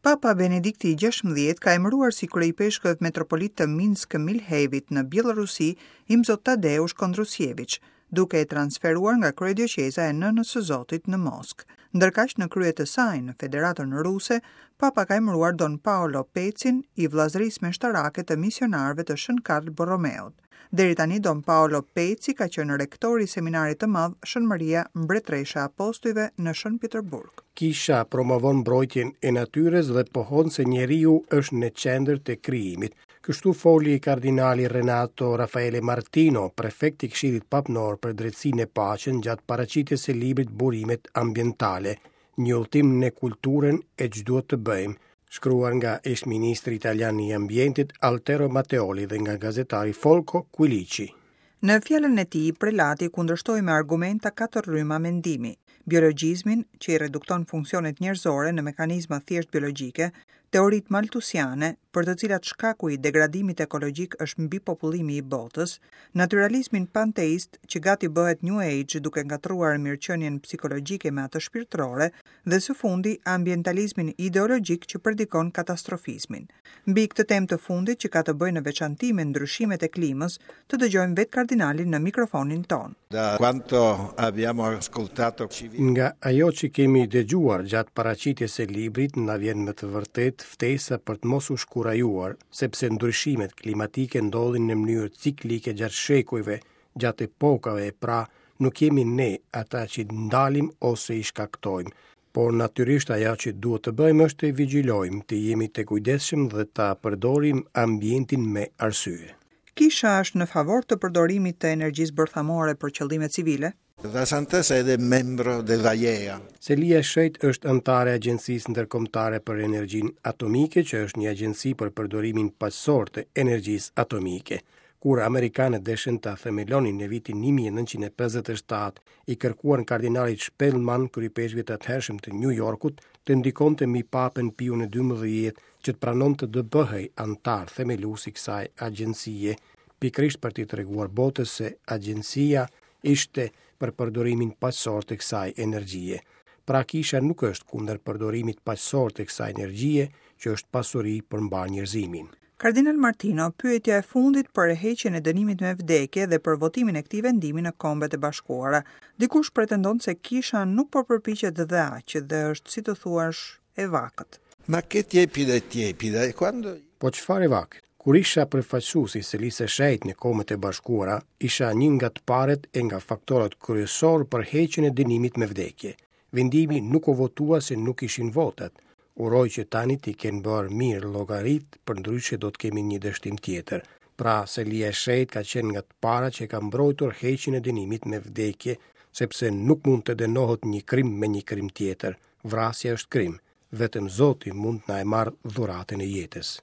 Papa Benedikti i 16 ka emëruar si kryeipeshkëv metropolit të Minsk Milhevit në Bjellorusi Imzot Tadeusz Kondrusjeviç, duke e transferuar nga kryedioqeza e Nënës së Zotit në Moskë. Ndërkaq në krye të saj në Federatën Ruse, Papa ka emëruar Don Paolo Pecin i Vëllazërisë Meshtarake të Misionarëve të Shën Karl Borromeut. Deri tani Don Paolo Peci ka qenë rektor i Seminarit të Madh Shën Maria Mbretëresha e Apostujve në Shën Peterburg. Kisha promovon mbrojtjen e natyrës dhe pohon se njeriu është në qendër të krijimit. Kështu foli kardinali Renato Raffaele Martino, prefekt i Këshillit Papnor për Drejtësinë e Paqen gjatë paraqitjes së librit Burimet Ambientale, një udhëtim në kulturën e ç'duhet të bëjmë, shkruar nga ish-ministri italian i Ambientit Altero Matteoli dhe nga gazetari Folco Quilici. Në fjalën e tij, prelati kundërshtoi me argumenta katër rryma mendimi: biologjizmin, që i redukton funksionet njerëzore në mekanizma thjesht biologjike, teoritë maltusiane, për të cilat shkaku i degradimit ekologjik është mbipopullimi i botës, natyralizmin panteist që gati bëhet New Age duke ngatërruar mirëqenien psikologjike me atë shpirtërore dhe së fundi ambientalizmin ideologjik që predikon katastrofizmin. Mbi këtë temë të fundit që ka të bëjë në veçanti me ndryshimet e klimës, të dëgjojmë vetë kardinalin në mikrofonin tonë. Da quanto abbiamo ascoltato Nga ajo që kemi dëgjuar gjatë paraqitjes së librit na vjen me të vërtetë ftesa për të mos u shkurajuar, sepse ndryshimet klimatike ndodhin në mënyrë ciklike gjatë shekujve, gjatë epokave, pra nuk jemi ne ata që i ndalim ose i shkaktojmë, por natyrisht ajo që duhet të bëjmë është të vigjilojmë, të jemi të kujdesshëm dhe ta përdorim ambientin me arsye. Kisha është në favor të përdorimit të energjisë bërthamore për qëllime civile? La Santa Sede è membro dell'AIEA. Selia e Shenjtë është anëtare e Agjencisë Ndërkombëtare për Energjinë Atomike, që është një agjenci për përdorimin paqësor të energjisë atomike. Kur amerikanët deshën ta themelonin në vitin 1957, i kërkuan kardinalit Spellman, kryeipeshkvit të atëhershëm të New Yorkut, të ndikonte mbi Papën Piun e XII që të pranonte të bëhej anëtar themelues i kësaj agjencie, pikërisht për t'i treguar botës se agjencia ishte për përdorimin paqësor të kësaj energjie. Pra kisha nuk është kundër përdorimit paqësor të kësaj energjie, që është pasuri për mbarë njerëzimin. Kardinal Martino, pyetja e fundit për heqjen e dënimit me vdekje dhe për votimin e këtij vendimi në Kombet e Bashkuara. Dikush pretendon se kisha nuk po përpiqet dhe aq dhe është si të thuash e vakët. Ma che tiepida è tiepida e quando Po çfarë e vakët? Kur isha përfaqësues i Selisë së Shenjtë në Kombet e Bashkuara, isha një nga të parët e nga faktorët kryesorë për heqjen e dënimit me vdekje. Vendimi nuk u votua se nuk ishin votat. Uroj që tani t'i kenë bërë mirë llogaritë, përndryshe do të kemi një dështim tjetër. Pra, Selia e Shenjtë ka qenë nga të parat që ka mbrojtur heqjen e dënimit me vdekje, sepse nuk mund të dënohet një krim me një krim tjetër. Vrasja është krim. Vetëm Zoti mund të na e marrë dhuratën e jetës.